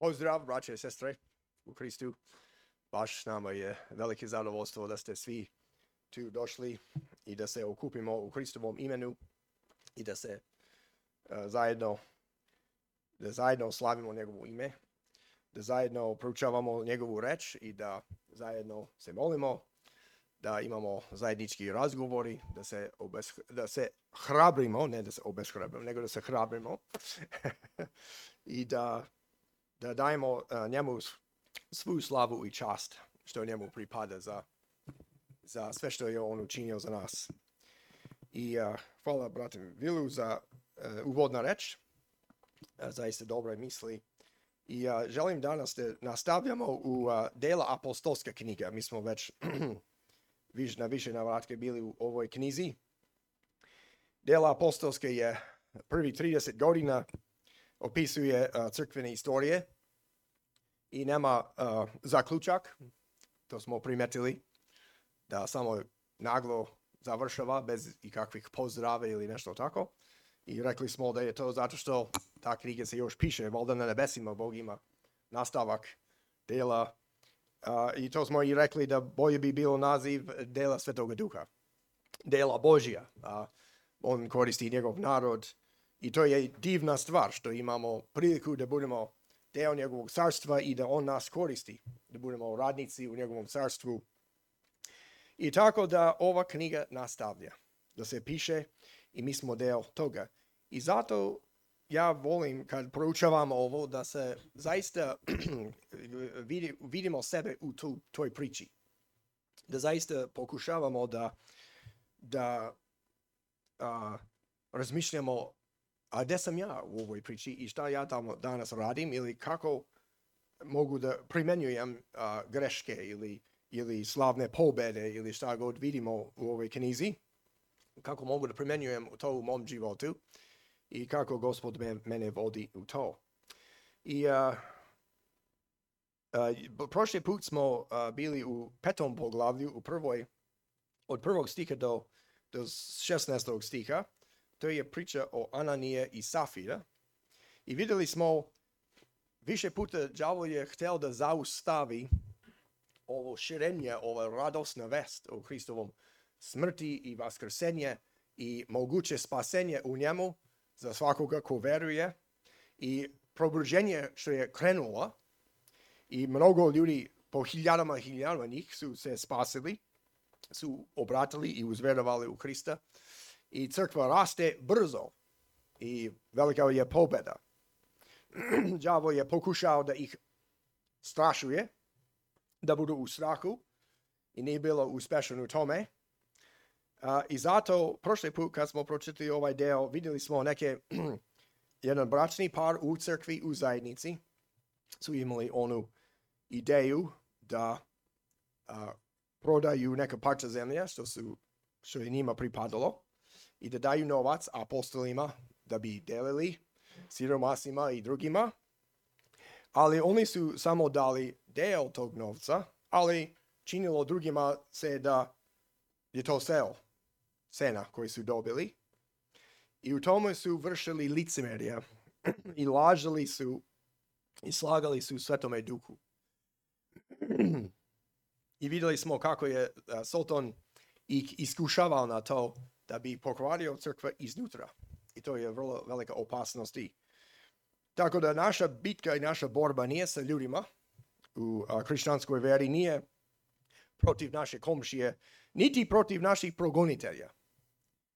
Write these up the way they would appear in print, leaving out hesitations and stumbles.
Pozdrav, braće i sestre u Kristu. Baš nama je velike zadovoljstvo da ste svi tu došli i da se okupimo u Kristovom imenu i da se zajedno slavimo njegovo ime, da zajedno proučavamo njegovu reč i da zajedno se molimo, da imamo zajednički razgovori, da se hrabrimo, ne da se obeshrabrimo, nego da se hrabrimo i da dajemo njemu svu slavu i čast što njemu pripada za sve što je on učinio za nas. I hvala bratu Vilu za uvodna reč, zaista dobre misli. I želim danas da nastavljamo u dela apostolske knjige. Mi smo već na više navratke bili u ovoj knjizi. Dela apostolske je prvi 30 godina opisuje crkvene istorije i nema zaključak, to smo primetili, da samo naglo završava bez ikakvih pozdrava ili nešto tako. I rekli smo da je to zato što ta knjiga se još piše, valjda na nebesima Bog ima nastavak dela. I to smo i rekli da bolje bi bilo naziv dela Svetoga Duha, dela Božja. On koristi njegov narod i to je divna stvar što imamo priliku da budemo deo njegovog carstva i da on nas koristi, da budemo radnici u njegovom carstvu. I tako da ova knjiga nastavlja, da se piše i mi smo deo toga. I zato ja volim kad proučavam ovo da se zaista vidimo sebe u toj priči. Da zaista pokušavamo da razmišljamo a gdje sam ja u ovoj priči i šta ja tamo danas radim ili kako mogu da primenjujem greške ili slavne pobede ili šta god vidimo u ovoj knjizi, kako mogu da primenjujem to u mom životu i kako Gospod mene vodi u to. I prošli put smo bili u 5. poglavlju, od 1. stiha do 16. stiha. To je priča o Ananije i Safira. I vidjeli smo više puta đavo je htio da zaustavi ovo širenje, ova radosna vest o Hristovom smrti i vaskrsenje i moguće spasenje u njemu za svakoga ko veruje i probuđenje što je krenulo i mnogo ljudi po hiljadama njih su se spasili, su obratili i uzverovali u Hrista. I crkva raste brzo i velika je pobjeda. Đavo je pokušao da ih strašuje, da budu u strahu i nije bilo uspešan u tome. I zato prošli put kad smo pročitali ovaj deo vidjeli smo jedan bračni par u crkvi, u zajednici su imali onu ideju da prodaju neka parča zemlje što je njima pripadalo i da daju novac apostolima da bi delili siromasima i drugima. Ali oni su samo dali deo tog novca, ali činilo drugima se da je to cena koju su dobili. I u tome su vršili licemerje i lažali su i slagali su Svetome Duhu. I vidjeli smo kako je Soton ih iskušavao na to da bi pokvario crkva iznutra. I to je vrlo velika opasnost. Tako da naša bitka i naša borba nije sa ljudima u hrišćanskoj veri, nije protiv naše komšije, niti protiv naših progonitelja.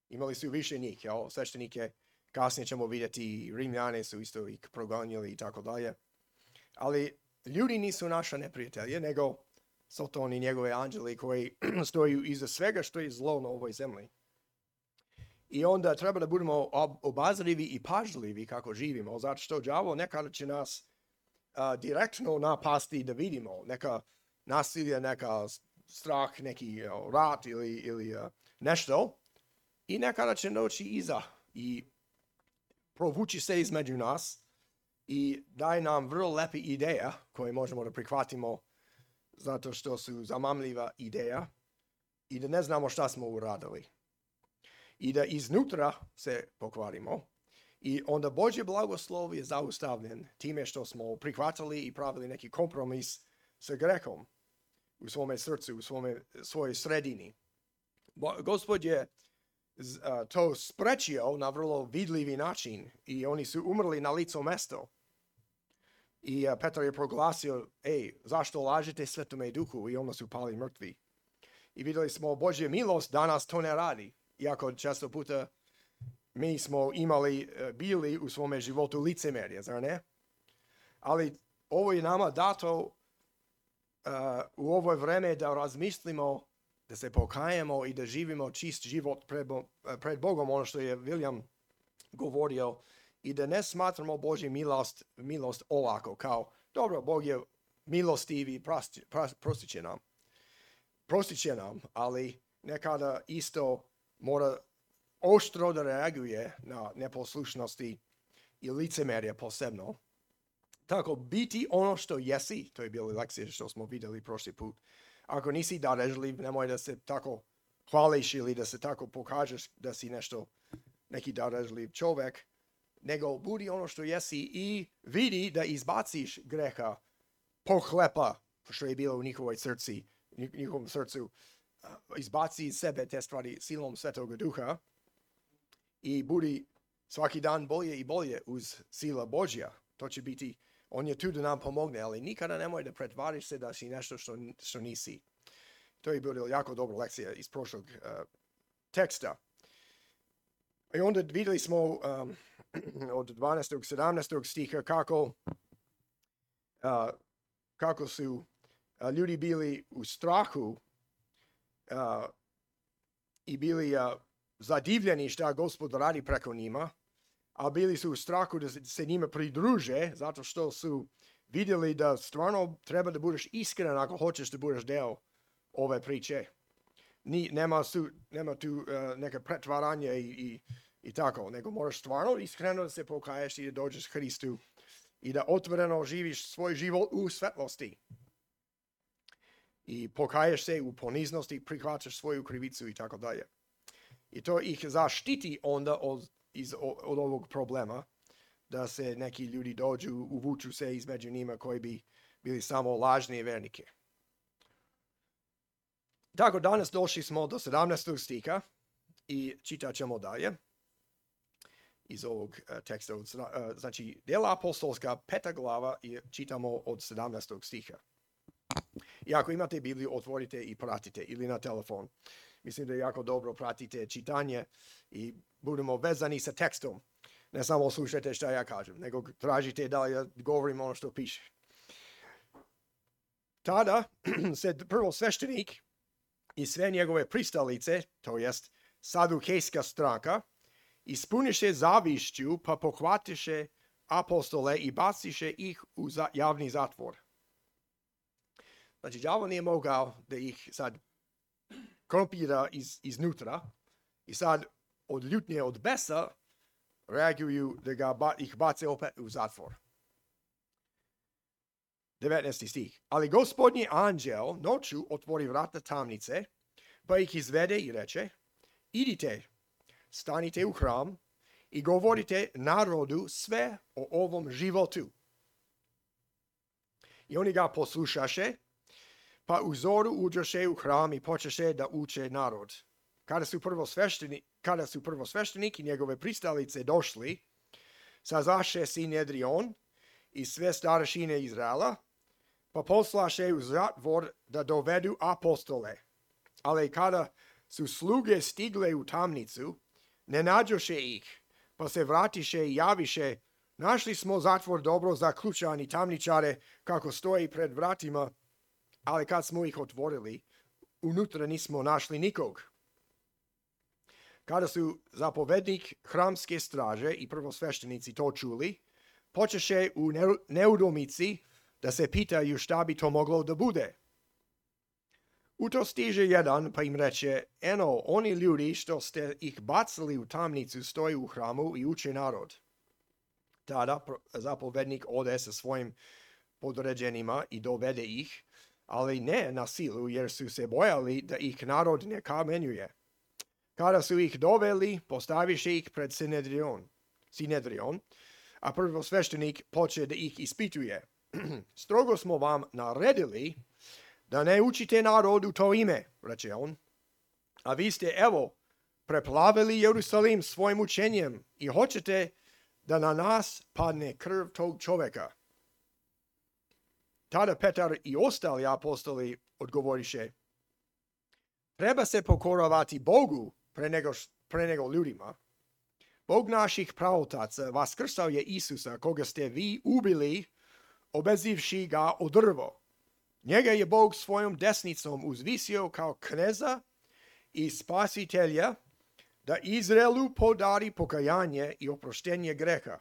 Imali su više njih, sveštenike, kasnije ćemo vidjeti, Rimljane su isto ih progonili i tako dalje. Ali ljudi nisu naša neprijatelje, nego Soton i njegove anđeli koji stoju iza svega što je zlo na ovoj zemlji. I onda treba da budemo obazrivi i pažljivi kako živimo, zato što đavo nekada će nas direktno napasti da vidimo neka nasilje, neka strah, neki rat ili nešto. I nekada će doći iza i provući se između nas i daje nam vrlo lepe ideja koje možemo da prihvatimo zato što su zamamljiva ideja i da ne znamo šta smo uradili. I da iznutra se pokvarimo I onda Božji blagoslov je zaustavljen time što smo prihvatili i pravili neki kompromis sa grehom u svome srcu, u svojoj sredini. Gospod je to sprečio na vrlo vidljivi način i oni su umrli na licu mesto. I Petar je proglasio, zašto lažete Svetome Duhu? I onda su pali mrtvi. I vidjeli smo Božja milost, danas to ne radi. Iako često puta mi smo bili u svome životu licemerje, zar ne? Ali ovo je nama dato u ovo vreme da razmislimo, da se pokajemo i da živimo čist život pred Bogom, ono što je William govorio, i da ne smatramo Božju milost olako, kao, dobro, Bog je milostiv i prostit će nam, ali nekada isto mora oštro da reaguje na neposlušnosti i licemerje posebno. Tako, biti ono što jesi, to je bila lekcija što smo vidjeli prošli put. Ako nisi darežljiv, nemoj da se tako hvališ ili da se tako pokažeš da si neki darežljiv čovjek, nego budi ono što jesi i vidi da izbaciš greha, pohlepa, što je bilo u njihovom srcu, izbaci iz sebe te stvari silom Svetoga Duha i budi svaki dan bolje i bolje uz sila Božja. To će biti, on je tu da nam pomogne, ali nikada nemoj da pretvariš se da si nešto što nisi. To je bila jako dobra lekcija iz prošlog teksta. I onda vidjeli smo od 12. 17. stiha kako su ljudi bili u strahu i bili zadivljeni šta Gospod radi preko njima, a bili su u strahu da se njima pridruže, zato što su vidjeli da stvarno treba da budeš iskren ako hoćeš da budeš deo ove priče. Nema tu neka pretvaranje i tako, nego moraš stvarno iskreno da se pokaješ i da dođeš Hristu i da otvoreno živiš svoj život u svetlosti. I pokaješ se u poniznosti, prihvaćaš svoju krivicu i tako dalje. I to ih zaštiti onda od ovog problema, da se neki ljudi dođu, uvuču se između njima koji bi bili samo lažni vernike. Tako, danas došli smo do 17. stiha i čitat ćemo dalje iz ovog teksta. Znači, djela apostolska, 5. glava i čitamo od 17. stiha. I ako imate Bibliju, otvorite i pratite ili na telefon. Mislim da je jako dobro pratite čitanje i budemo vezani sa tekstom. Ne samo slušajte šta ja kažem, nego tražite da ja govorim ono što piše. Tada se prvo sveštenik i sve njegove pristalice, to jest sadukejska stranka, ispuniše zavišću pa pohvatiše apostole i baciše ih u javni zatvor. Znači, đavo nije mogao da ih sad korumpira iznutra i sad od ljutnje, od besa reaguju da ih bace opet u zatvor. 19. stih. Ali gospodnji anđel noću otvori vrata tamnice, pa ih izvede i reče, idite, stanite u hram i govorite narodu sve o ovom životu. I oni ga poslušaše, pa u zoru uđoše u hram i počeše da uče narod. Kada su prvo sveštenik i njegove pristalice došli, sazaše Sinedrion i sve starešine Izraela, pa poslaše u zatvor da dovedu apostole. Ali kada su sluge stigle u tamnicu, ne nađoše ih, pa se vratiše i javiše, našli smo zatvor dobro zaključan i tamničare kako stoji pred vratima, ali kad smo ih otvorili, unutra nismo našli nikog. Kada su zapovednik hramske straže i prvosveštenici to čuli, počeše u neudomici da se pitaju šta bi to moglo da bude. U to stiže jedan pa im reče, eno, oni ljudi što ste ih bacili u tamnicu stoji u hramu i uče narod. Tada zapovednik ode sa svojim podređenima i dovede ih, ali ne na silu, jer su se bojali da ih narod ne kamenjuje. Kada su ih doveli, postaviše ih pred Sinedrion. Sinedrion, a prvosveštenik poče da ih ispituje. Strogo smo vam naredili da ne učite narod u to ime, reče on, a vi ste, evo, preplavili Jerusalim svojim učenjem i hoćete da na nas padne krv tog čovjeka. Tada Petar i ostali apostoli odgovoriše, treba se pokoravati Bogu pre nego ljudima. Bog naših praotaca vaskrsao je Isusa, koga ste vi ubili, obezivši ga o drvo. Njega je Bog svojom desnicom uzvisio kao kneza i spasitelja, da Izraelu podari pokajanje i oproštenje greha.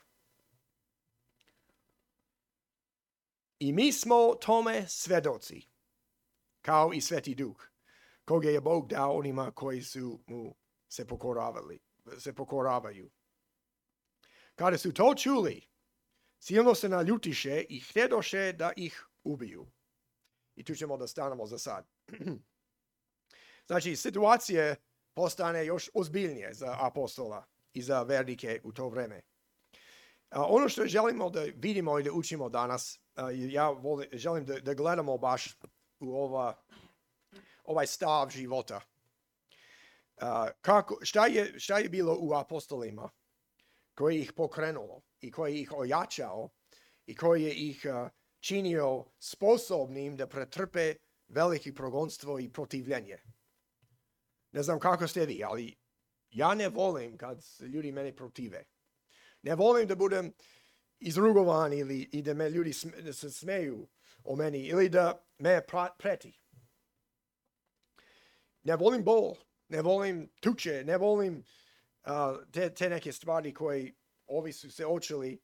I mi smo tome svedoci, kao i Sveti Duh, koga je Bog dao onima koji su mu se pokoravaju. Kada su to čuli, silno se naljutiše i htjedoše da ih ubiju. I tu ćemo da stanemo za sad. Znači, situacija postane još ozbiljnije za apostola i za vernike u to vreme. Ono što želimo da vidimo i da učimo danas, želim da gledamo baš u ovaj stav života. Šta je bilo u apostolima koji ih pokrenulo i koji ih ojačao i koji je ih činio sposobnim da pretrpe veliki progonstvo i protivljenje. Ne znam kako ste vi, ali ja ne volim kad ljudi mene protive. Ne volim da budem izrugovan i da me ljudi se smeju o meni ili da me preti. Ne volim bol, ne volim tuče, ne volim te neke stvari koje ovi su se očili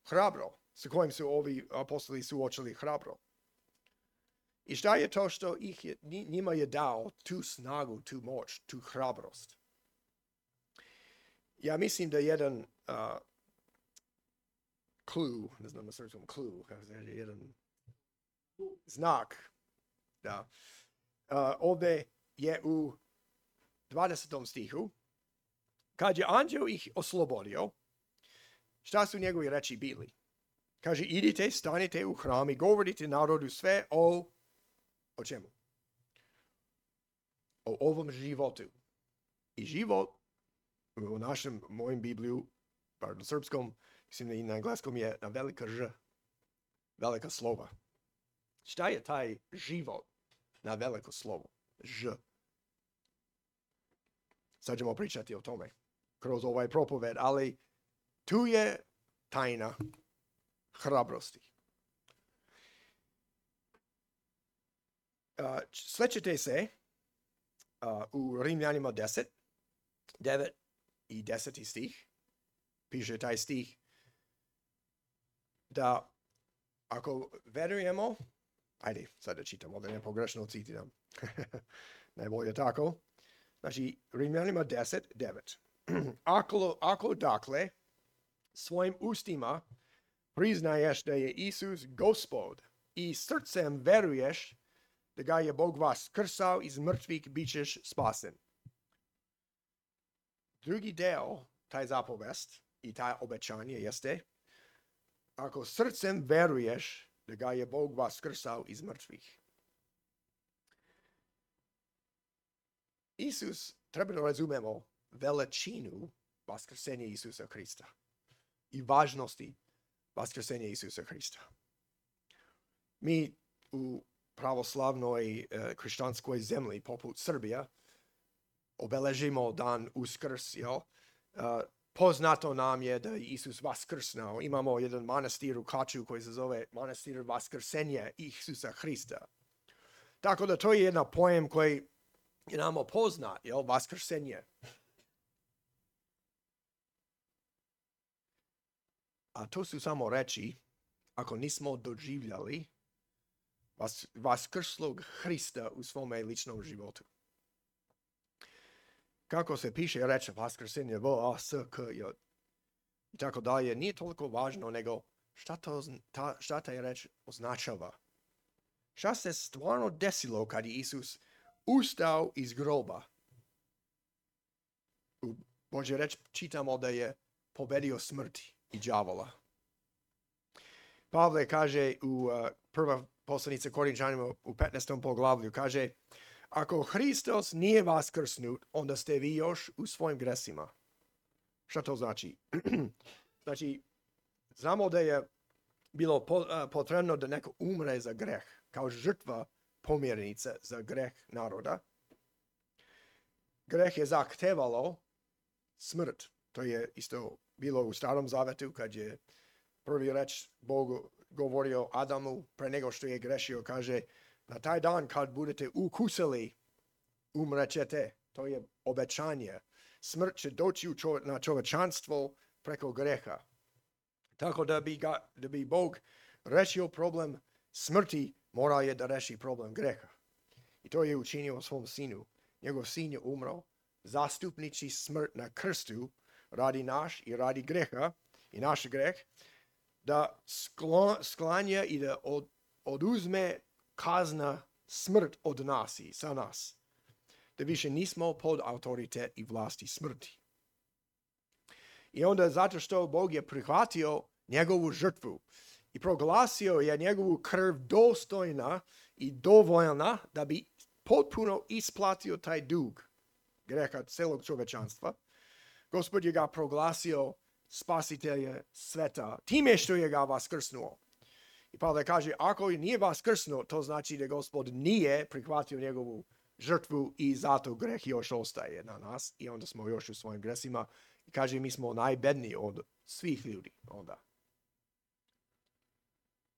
hrabro, sa kojim su ovi apostoli suočili hrabro. I šta je to što njima je dao tu snagu, tu moć, tu hrabrost? Ja mislim da jedan clue, ne znam na srpskom clue, jedan znak, da, ovdje je u 20. stihu, kad je anđeo ih oslobodio, šta su njegovi reči bili? Kaže, idite, stanite u hram i govorite narodu sve o čemu? O ovom životu. I život u mojem Bibliju, bar na srpskom, mislim da i na engleskom je na velika Ž, velika slova. Šta je taj život na veliko slovo? Ž. Sad ćemo pričati o tome kroz ovaj propoved, ali tu je tajna hrabrosti. Slećete se u Rimljanima 10, 9 i 10 stih. Piše taj stih da ako verujemo, ajde sad da čitamo, da ne pogrešno citiram. Najbolje tako. Znači, Rimljanima 10, 9. Ako dakle svojim ustima priznaješ da je Isus Gospod i srcem veruješ da ga je Bog vaskrsao iz mrtvih, bit ćeš spasen. Drugi deo, taj zapovest i taj obećanje jeste, ako srcem veruješ da ga je Bog vaskrsao iz mrtvih. Isus, treba da razumemo veličinu vaskrsenja Isusa Hrista i važnosti vaskrsenja Isusa Hrista. Mi u pravoslavnoj hrišćanskoj zemlji, poput Srbija, obeležimo dan Uskrs, poznato nam je da je Isus vaskrsnao. Imamo jedan manastir u Kaču koji se zove manastir vaskrsenja Isusa Hrista. Tako da to je jedan pojem koji je nam poznat, vaskrsenje. A to su samo reči ako nismo doživljali vaskrslog Hrista u svome ličnom životu. Kako se piše reč vaskrsenje, i tako dalje, nije toliko važno nego šta taj reč označava. Šta se stvarno desilo kad je Isus ustao iz groba? U Božje reč čitamo da je pobedio smrti i đavola. Pavle kaže u prva poslanica Korinčanima u 15. poglavlju, kaže, ako Hristos nije vaskrsnut, onda ste vi još u svojim gresima. Šta to znači? Znači, znamo da je bilo potrebno da neko umre za greh, kao žrtva pomjernice za greh naroda. Greh je zahtevalo smrt. To je isto bilo u Starom Zavetu kad je prvi reč Bog govorio Adamu pre nego što je grešio. Kaže, na taj dan kad budete ukusili, umrećete. To je obećanje. Smrt će doći na čovečanstvo preko greha. Tako da bi Bog rešio problem smrti, mora je da reši problem greha. I to je učinio svom sinu. Njegov sin je umro, zastupniči smrt na krstu, radi naš i radi greha i naš greh, da sklanja i da oduzme kazna smrt od nas i sa nas. Da više nismo pod autoritet i vlasti smrti. I onda zato što Bog je prihvatio njegovu žrtvu i proglasio je njegovu krv dostojna i dovoljna da bi potpuno isplatio taj dug greha celog čovečanstva, Gospod je ga proglasio spasitelje sveta time što je ga vaskrsnuo. I Pavle kaže, ako nije vaskrsnuo, to znači da Gospod nije prihvatio njegovu žrtvu i zato greh još ostaje na nas i onda smo još u svojim gresima. I kaže, mi smo najbedniji od svih ljudi onda.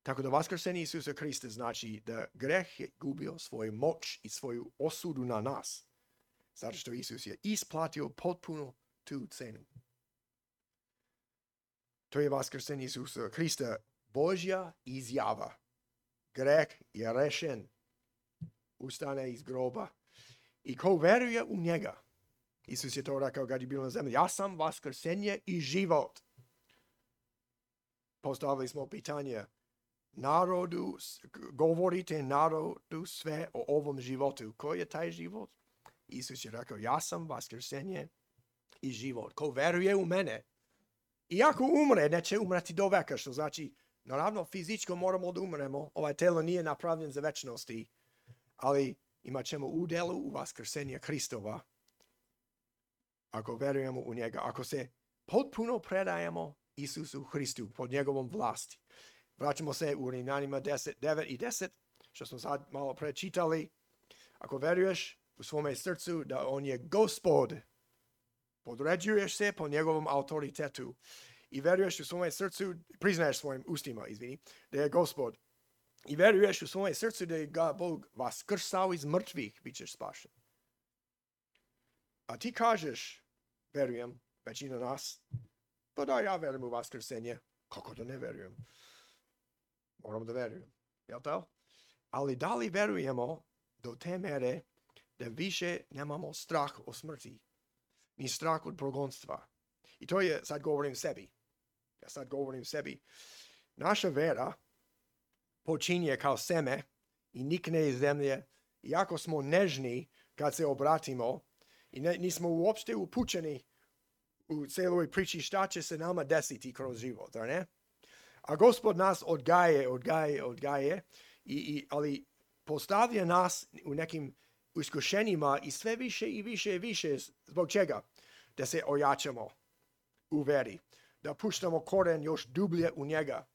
Tako da vaskrsenje Isusa Hrista znači da greh je gubio svoju moć i svoju osudu na nas. Zato što Isus je isplatio potpuno tu cenu. To je vaskrsenje Isusa Hrista, Božja izjava. Greh je rešen. Ustane iz groba. I ko veruje u njega, Isus je to rekao kad je bio na zemlji, ja sam vaskrsenje i život. Postavili smo pitanje narodu, govorite narodu sve o ovom životu. Koji je taj život? Isus je rekao, ja sam vaskrsenje i život. Ko veruje u mene, iako umre, neće umreti do veka, što znači, naravno, fizičko moramo da umremo. Ovaj telo nije napravljen za večnosti, ali imat ćemo udjelu u vaskrsenje Hristova. Ako verujemo u njega, ako se potpuno predajemo Isusu Hristu pod njegovom vlasti. Vraćamo se u Rimljanima 10, 9 i 10, što smo sad malo prečitali. Ako veruješ u svome srcu da on je Gospod, podređuješ se po njegovom autoritetu i veruješ u svome srcu, priznaješ svojim ustima, da je Gospod. I veruješ u svome srcu da je ga Bog vaskrsao iz mrtvih, bit ćeš spašen. A ti kažeš, verujem, većina nas, pa da ja verujem u vaskrsenje. Kako da ne verujem? Moram da verujem. Jel' to? Ali da li verujemo do te mere da više nemamo strah o smrti, ni strah od progonstva? I to je, sad govorim sebi. Ja sad govorim sebi. Naša vera počinje kao seme i nikne iz zemlje. Iako smo nežni kad se obratimo i nismo uopšte upućeni u celoj priči šta će se nama desiti kroz život, ne? A Gospod nas odgaje, ali postavlja nas u nekim iskušenjima i sve više i više. Zbog čega? Da se ojačamo u veri, da puštamo koren još dublje u njega.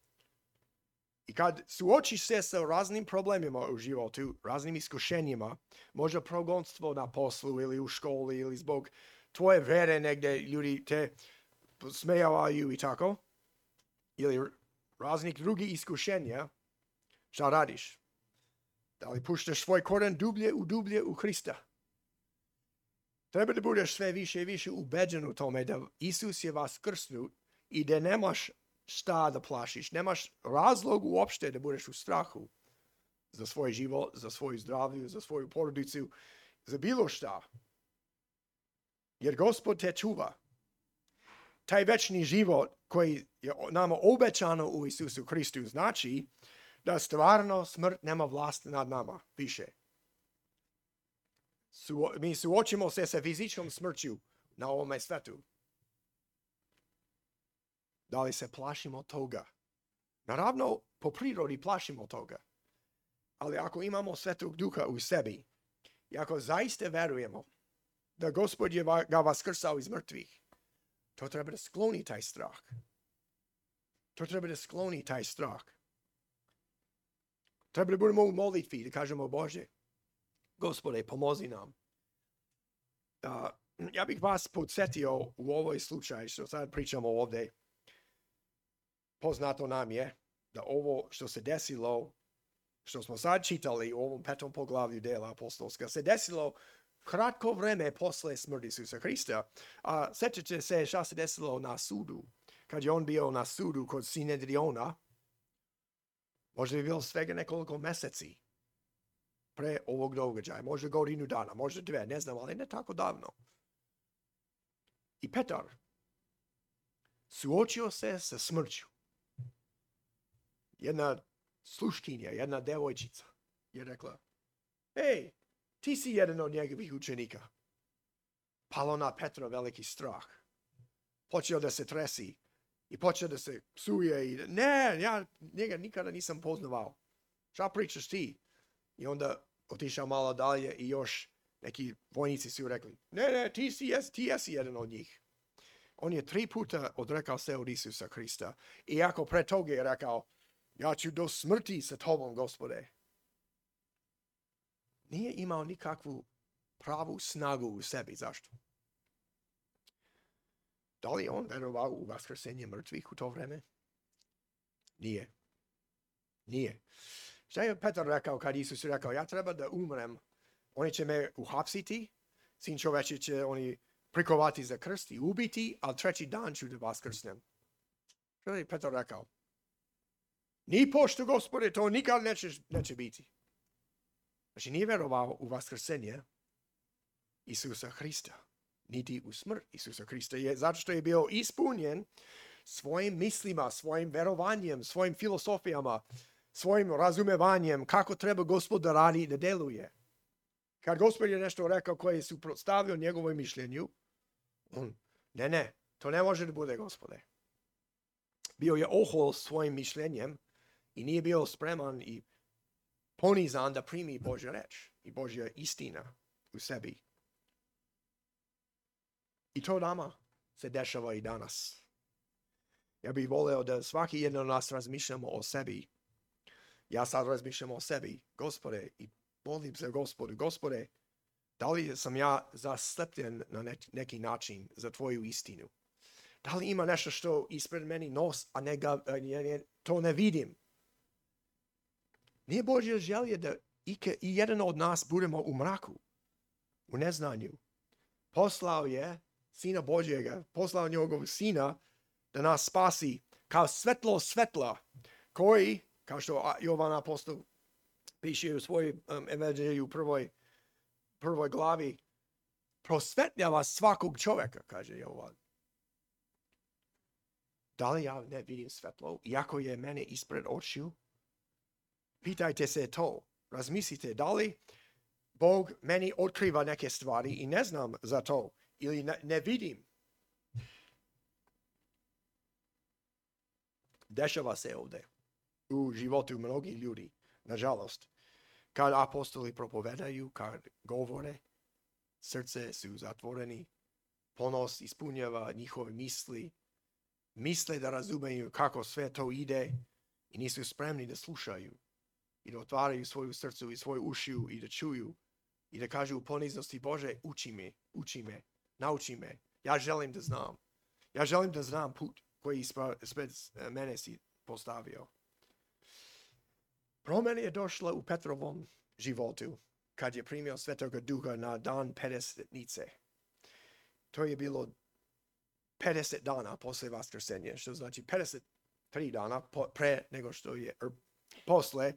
I kad suočiš se sa raznim problemima u životu, raznim iskušenjima, možda progonstvo na poslu ili u školi ili zbog tvoje vere negdje ljudi te smejavaju i tako, ili raznih drugih iskušenja, šta radiš? Da li puštaš svoj koren dublje u Hrista? Treba da budeš sve više i više ubeđen u tome da Isus je vaskrsnut i da nemaš šta da plašiš. Nemaš razlog uopšte da budeš u strahu za svoj život, za svoju zdravlju, za svoju porodicu, za bilo šta. Jer Gospod te čuva. Taj večni život koji je nama obećano u Isusu Hristu znači da stvarno smrt nema vlast nad nama više. Mi suočimo se sa fizičkom smrću na ovome svetu. Da li se plašimo toga? Naravno, po prirodi plašimo toga. Ali ako imamo Svetog Duha u sebi i ako zaista verujemo da Gospod je ga vaskrsao iz mrtvih, to treba da skloni taj strah. To treba da skloni taj strah. Treba da budemo u molitvi, da kažemo Bože, Gospode, pomozi nam. Ja bih vas podsjetio u ovoj slučaju što sad pričamo ovdje. Poznato nam je da ovo što se desilo, što smo sad čitali u ovom 5. poglavlju dela apostolska, se desilo kratko vreme posle smrti Isusa Hrista. A sjećate se šta se desilo na sudu. Kad je on bio na sudu kod Sinedriona, možda bi bilo svega nekoliko meseci pre ovog događaja, možda godinu dana, možda 2, ne znam, ali ne tako davno. I Petar suočio se sa smrću. Jedna sluškinja, jedna devojčica je rekla, hej, ti si jedan od njegovih učenika. Palo na Petra veliki strah. Počeo da se tresi i počeo da se psuje i ne, ja njega nikada nisam poznavao. Šta pričaš ti? I onda otišao malo dalje i još neki vojnici su rekli, ne, ti jesi jedan od njih. On je 3 puta odrekao se od Isusa Hrista. Iako pre toga je rekao, ja ću do smrti sa tobom, Gospode. Nije imao nikakvu pravu snagu u sebi. Zašto? Da li on verovao u vaskrsenje mrtvih u to vreme? Nije. Šta je Petar rekao kad Isus rekao, ja treba da umrem, oni će me uhapsiti, Sin čoveči će oni prikovati za krst i ubiti, ali 3. dan ću da vaskrsnem. Šta je Petar rekao? Ni pošto, Gospode, to nikad neće biti. Znači nije verovao u vaskrsenje Isusa Hrista, niti u smrt Isusa Hrista, zato što je bio ispunjen svojim mislima, svojim verovanjem, svojim filosofijama, svojim razumevanjem kako treba Gospod da radi i da deluje. Kad Gospod je nešto rekao koje je suprotstavio njegovom mišljenju, on, ne, to ne može da bude, Gospode. Bio je ohol svojim mišljenjem i nije bio spreman i ponizan da primi Božja reč i Božja istina u sebi. I to nama se dešava i danas. Ja bih voleo da svaki jedan od nas razmišljamo o sebi. Ja sad razmišljam o sebi, Gospode, i molim se Gospodu, Gospode, da li sam ja zaslepljen na neki način za tvoju istinu? Da li ima nešto što ispred meni nos, a to ne vidim? Nije Božja želja da i jedan od nas budemo u mraku, u neznanju. Poslao je Sina Božjega, poslao njegovog Sina da nas spasi kao svetlo svetla, koji, kao što Jovan apostol piše u svojoj evanđelju u prvoj glavi, prosvetljava svakog čovjeka, kaže Jovan. Da li ja ne vidim svetlo, iako je mene ispred očiju? Pitajte se to. Razmislite, da li Bog meni otkriva neke stvari i ne znam za to, ili ne vidim. Dešava se ovdje u životu mnogih ljudi, nažalost. Kad apostoli propovedaju, kad govore, srce su zatvoreni, ponos ispunjava njihove misli, misle da razumeju kako sve to ide i nisu spremni da slušaju i da otvaraju svoju srcu i svoju ušiju i da čuju i da kažu u poniznosti, Bože, uči me, nauči me, ja želim da znam. Ja želim da znam put koji ispred mene si postavio. Promjena je došla u Petrovom životu kad je primio Svetoga Duha na dan Pedesetnice. To je bilo 50 dana posle vaskrsenja, što znači 53 dana pre nego što je, posle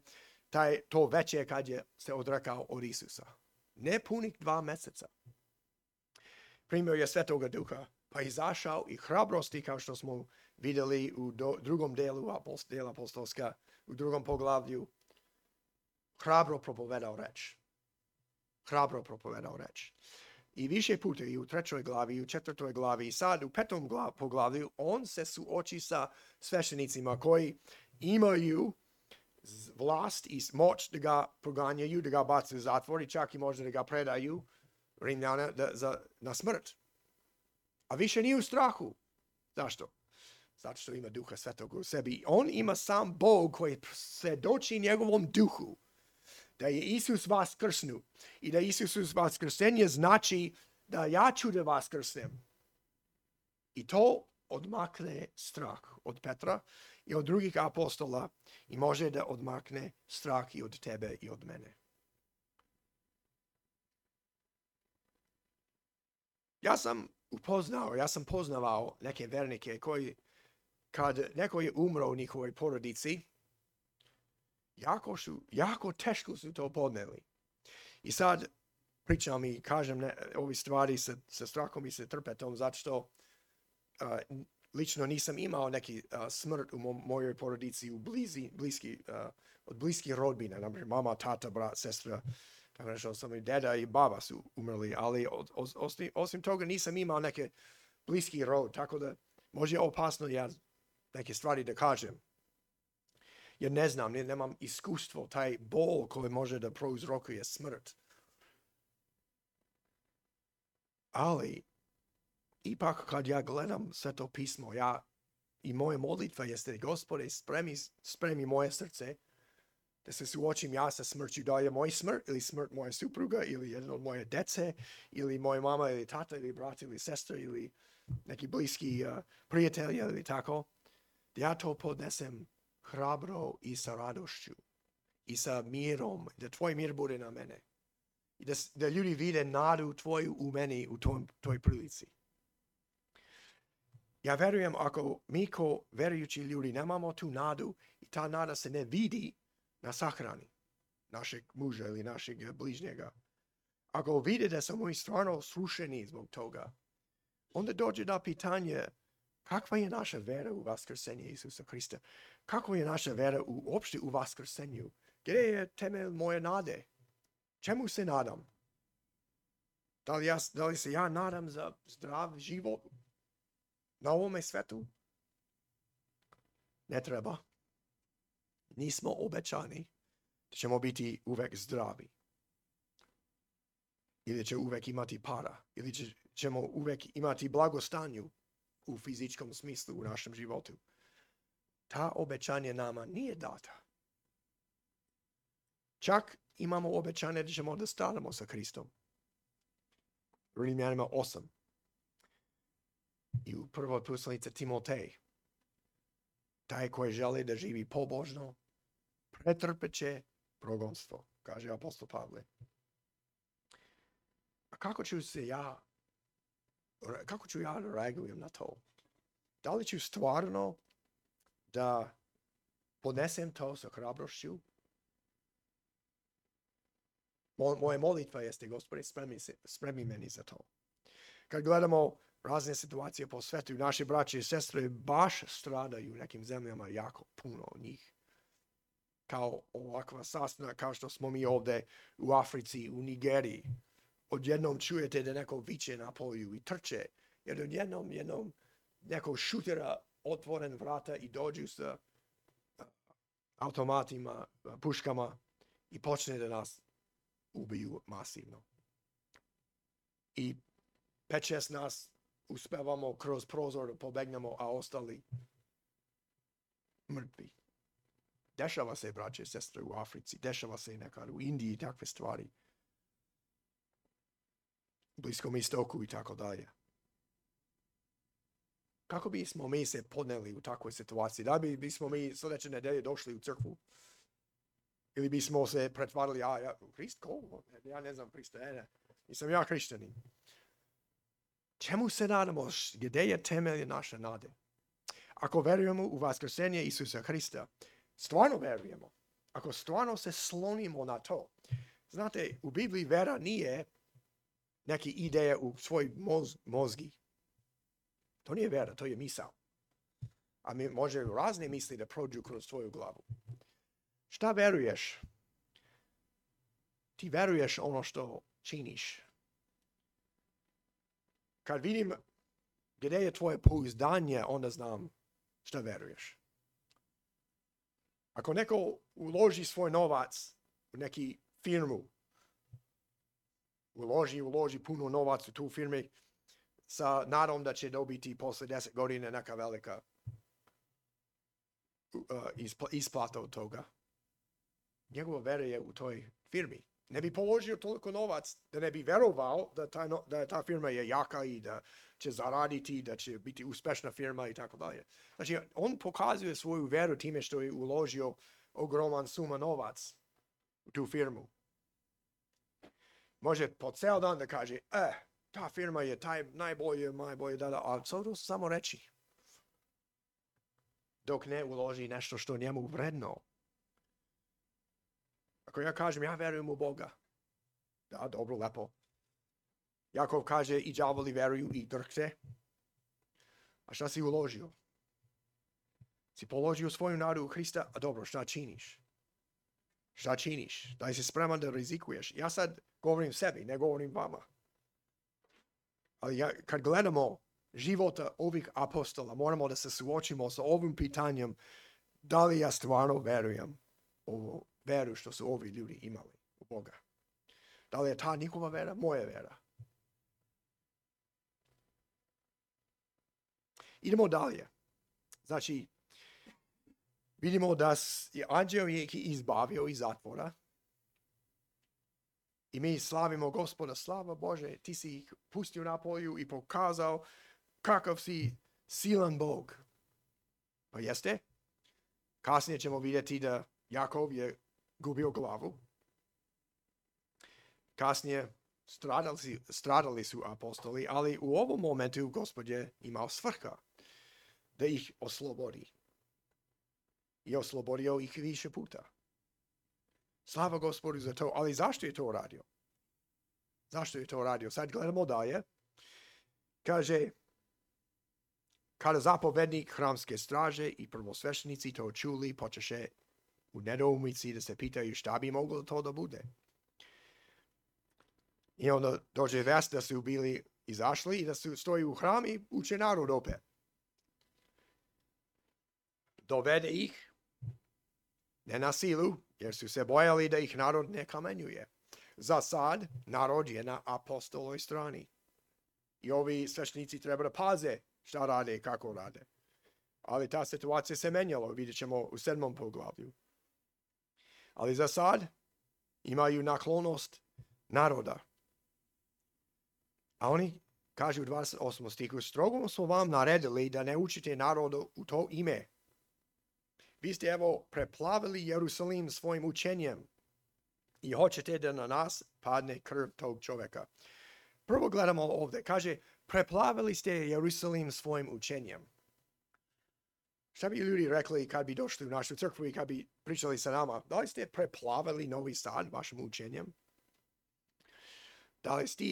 to veće kad je se odrekao od Isusa. Ne punih 2 meseca. Primio je Svetoga Duha, pa izašao i hrabrosti, kao što smo vidjeli u drugom delu dela apostolska, u 2. poglavlju, hrabro propovedao reč. I više puta i u 3. glavi, i u 4. glavi, i sad u 5. poglavlju, on se suoči sa sveštenicima koji imaju vlast i moć da ga proganjaju, da ga bacaju u zatvor i čak i možda da ga predaju Rimljana na smrt. A više nije u strahu. Zašto? Zato što ima Duha Svetog u sebi. On ima sam Bog koji svedoči njegovom duhu da je Isus vaskrsnu i da Isus vaskrsenje znači da ja ću da vaskrsnem. I to odmakne strah od Petra i od drugih apostola i može da odmakne strah i od tebe i od mene. Ja sam poznavao neke vernike koji, kad neko je umro u njihovoj porodici, jako teško su to podneli. I sad pričam i kažem ove stvari sa strahom i sa trpetom, zato što lično nisam imao neki smrt u mojoj porodici od bliskih rodbina, naprimjer mama, tata, brat, sestra, tako nešto, samo i deda i baba su umrli, ali osim toga nisam imao neke bliski rod, tako da može opasno ja neke stvari da kažem. Jer ne znam, nemam iskustvo, taj bol koji može da prouzrokuje smrt. Ali, ipak kad ja gledam Sveto pismo, i moja molitva jeste, Gospode, spremi moje srce, da se suočim ja sa smrću, da je moj smrt ili smrt moje supruga ili jedno od moje dece ili moja mama ili tata ili brat ili sestra ili neki bliski prijatelj ili tako, da ja to podnesem hrabro i sa radošću i sa mirom, da tvoj mir bude na mene i da ljudi vide nadu tvoju u meni u toj prilici. Ja verujem ako mi ko verujući ljudi nemamo tu nadu i ta nada se ne vidi na sahrani našeg muža ili našeg bližnjega, ako vide da smo mi stvarno srušeni zbog toga, onda dođe do pitanja kakva je naša vera u vaskrsenje Isusa Hrista? Kakva je naša vera uopšte u vaskrsenju? Gdje je temelj moje nade? Čemu se nadam? Da li se ja nadam za zdrav život na ovome svetu? Ne treba. Nismo obećani da ćemo biti uvek zdravi. Ili će uvek imati para. Ili ćemo uvek imati blagostanju u fizičkom smislu u našem životu. Ta obećanje nama nije data. Čak imamo obećanje da ćemo da stanemo sa Hristom. Rimljanima 8. I u prvoj poslanici Timotej. Taj koji želi da živi pobožno, pretrpeće progonstvo, kaže apostol Pavle. A kako ću ja reagujem na to? Da li ću stvarno da podnesem to sa hrabrošću? Moja molitva jeste, Gospode, spremi meni za to. Kad gledamo razne situacije po svetu, naše braće i sestre baš stradaju u nekim zemljama jako puno njih. Kao ovakva sasna, kao što smo mi ovde u Africi, u Nigeriji. Odjednom čujete da neko viče na polju i trče, jer odjednom neko šutera otvoren vrata i dođu sa automatima, puškama i počne da nas ubiju masivno. I 5-6 nas uspevamo kroz prozor da pobegnemo, a ostali mrtvi. Dešava se, braće i sestre, u Africi, dešava se nekad u Indiji takve stvari. U Bliskom istoku i tako dalje. Kako bismo mi se podneli u takvoj situaciji? Da bismo mi sljedeće nedelje došli u crkvu? Ili bismo se pretvarali, Hrist, ko? Ja ne znam Hrista, nisam ja hrišćanin. Čemu se nadamo? Gdje je temelj naše nade? Ako verujemo u vaskrsenje Isusa Hrista, stvarno verujemo, ako stvarno se slonimo na to. Znate, u Bibliji vera nije neke ideje u svoj mozgi. To nije vera, to je misao. A mi može razne misli da prođu kroz tvoju glavu. Šta veruješ? Ti veruješ ono što činiš. kad vidim gdje je tvoje pouzdanje, onda znam šta veruješ. Ako neko uloži svoj novac u neki firmu, uloži puno novac u tu firmu sa nadom da će dobiti posle 10 godina neka velika isplata od toga. Njegova vera je u toj firmi. Ne bi položio toliko novac da ne bi verovao da ta firma je jaka i da će zaraditi, da će biti uspešna firma i tako dalje. Znači, on pokazuje svoju veru time što je uložio ogroman suma novac u tu firmu. Može po ceo dan da kaže, ta firma je najbolje, ali to su samo reči. Dok ne uloži nešto što njemu vredno. Ako ja kažem, ja verujem u Boga. Da, dobro, lepo. Jakov kaže, i đavoli veruju i drhte. A šta si uložio? Si položio svoju nadu u Hrista, a dobro, šta činiš? Šta činiš? Da li si spreman da rizikuješ? Ja sad govorim sebi, ne govorim vama. Ali kad gledamo života ovih apostola, moramo da se suočimo sa ovim pitanjem, da li ja stvarno verujem u veru što su ovi ljudi imali u Boga. Da li je ta njihova vera, moja vera? Idemo dalje. Znači, vidimo da je anđeo ih izbavio iz zatvora i mi slavimo Gospoda, slava Bože, ti si ih pustio na polju i pokazao kakav si silan Bog. Pa jeste? Kasnije ćemo vidjeti da Jakov je gubio glavu. Kasnije stradali su apostoli, ali u ovom momentu Gospod je imao svrha da ih oslobodi. I oslobodio ih više puta. Slava Gospodu za to, ali zašto je to radio? Zašto je to radio? Sad gledamo dalje. Kaže, kada zapovednik hramske straže i prvosveštenici to čuli, počeše u nedoumici da se pitaju šta bi moglo to da bude. I onda dođe vest da su bili izašli i da su stoji u hram i uče narod opet. Dovede ih, ne na silu, jer su se bojali da ih narod ne kamenjuje. Za sad, narod je na apostolovoj strani. I ovi sveštenici treba da paze šta rade i kako rade. Ali ta situacija se menjala, vidjet ćemo u 7. poglavlju. Ali za sad imaju naklonost naroda. A oni kažu u 28. stihu, strogo smo vam naredili da ne učite narodu u to ime. Vi ste evo preplavili Jerusalim svojim učenjem i hoćete da na nas padne krv tog čovjeka. Prvo gledamo ovdje, kaže, preplavili ste Jerusalim svojim učenjem. Šta bi ljudi rekli kad bi došli u našu crkvu i kad bi pričali sa nama? Da li ste preplavili Novi Sad vašim učenjem?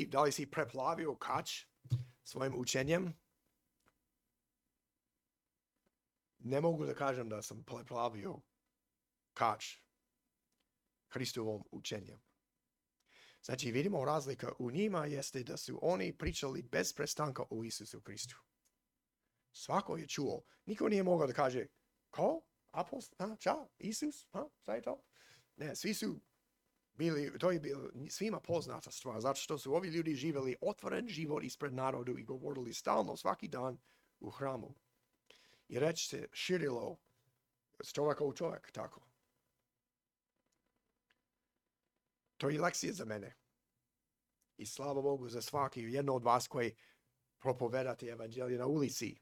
Da li si preplavio Kač svojim učenjem? Ne mogu da kažem da sam preplavio Kač Hristovom učenjem. Znači, vidimo razlika u njima jeste da su oni pričali bez prestanka o Isusu Hristu. Svako je čuo. Niko nije mogao da kaže, ko? Apostol? Ča? Isus? Šta je to? Ne, svi su bili, to je bilo svima poznata stvar, zato što su ovi ljudi živjeli otvoren život ispred narodu i govorili stalno, svaki dan u hramu. I reč se širilo s čovjeka u čovjek, tako. To je lekcija za mene. I slava Bogu za svaki jedno od vas koji propovedate evanđelje na ulici,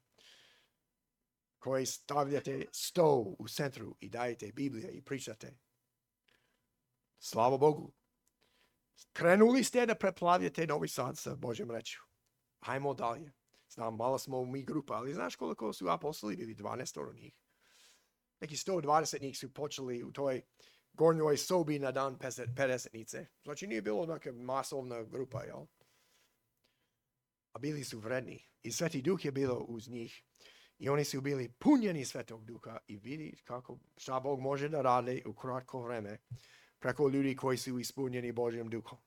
koji stavljate sto u centru i dajete Biblije i pričate. Slava Bogu. Krenuli ste da preplavljate Novi Sad sa Božjom rečju. Hajmo dalje. Znam, malo smo mi grupa, ali znaš koliko su apostoli bili? 12 od njih. Neki 120 njih su počeli u toj gornjoj sobi na dan Pedesetnice. Znači nije bilo neka masovna grupa, jel? A bili su vredni. I Sveti Duh je bilo uz njih. I oni su bili punjeni Svetog Duha i vidi šta Bog može da radi u kratko vreme preko ljudi koji su ispunjeni Božjim Duhom.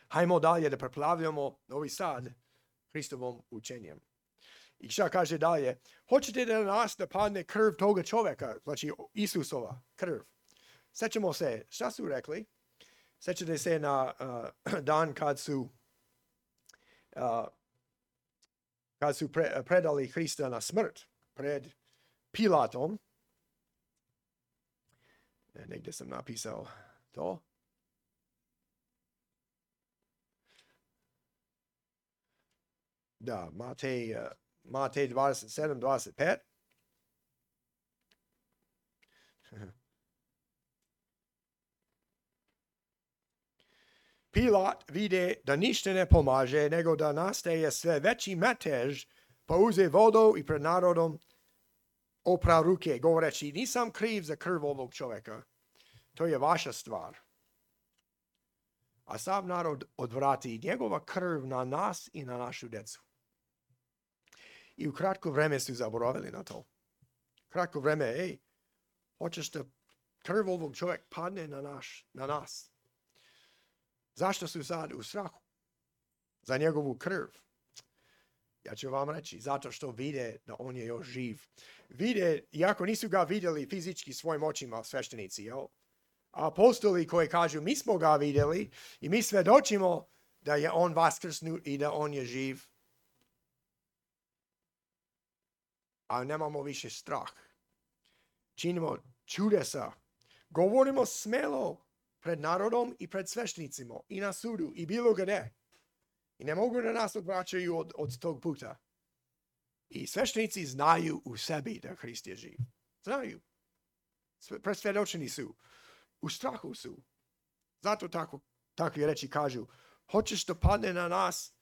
Hajmo dalje da preplavljamo Novi Sad Hristovom učenjem. I šta kaže dalje? Hoćete da na nas da padne krv toga čovjeka, znači Isusova krv. Sjećamo se, šta su rekli? Sjećate se na dan kad su predali Hrista na smrt pred Pilatom. Negdje sam napisao to. Da, Matej 27, 25. Pilat vide da ništa ne pomaže, nego da nastaje sve veći metež, pa uze vodu i pred narodom opra ruke, govoreći, nisam kriv za krv ovog čovjeka. To je vaša stvar. A sav narod odvrati njegova krv na nas i na našu djecu. I u kratko vreme su zaboravili na to. Kratko vreme, hoćeš da krv ovog čovjeka padne na nas. Zašto su sad u strahu? Za njegovu krv. Ja ću vam reći, zato što vide da on je još živ. Vide, iako nisu ga vidjeli fizički svojim očima sveštenici, jel? A apostoli koji kažu, mi smo ga vidjeli i mi svedočimo da je on vaskrsnut i da on je živ. A nemamo više strah. Činimo čudesa. Govorimo smelo pred narodom i pred sveštenicima i na sudu i bilo gdje. I ne mogu da nas odvraćaju od tog puta. I sveštenici znaju u sebi da Hrist je živ. Znaju. Presvjedočeni su. U strahu su. Zato takvi reči kažu, hoćeš da padne na nas,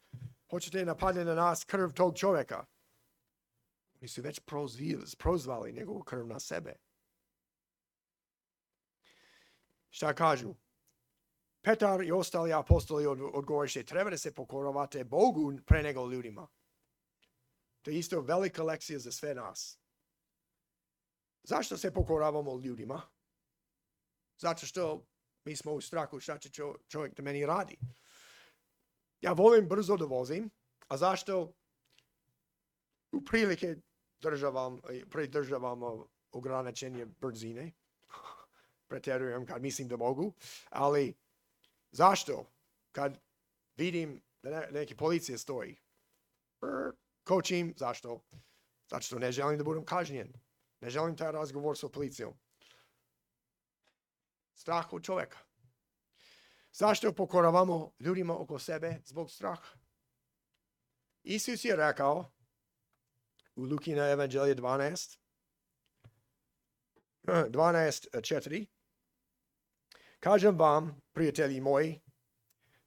hoćete da padne na nas krv tog čovjeka. Oni su već prozvali njegovu krv na sebe. Šta kažu? Petar i ostali apostoli odgovoriše, treba da se pokoravate Bogu pre nego ljudima. To je isto velika lekcija za sve nas. Zašto se pokoravamo ljudima? Zato što mi smo u strahu šta će čovjek da meni radi. Ja volim brzo da vozim, a zašto u prilike pridržavam ograničenje brzine? Pretjerujem kad mislim da mogu, ali zašto? Kad vidim da neki policija stoji, kočim, zašto? Zato što ne želim da budem kažnjen. Ne želim taj razgovor sa policijom. Strah od čovjeka. Zašto pokoravamo ljudima oko sebe zbog straha? Isus je rekao u Lukina evanđelje 12:4. Kažem vam, prijatelji moji,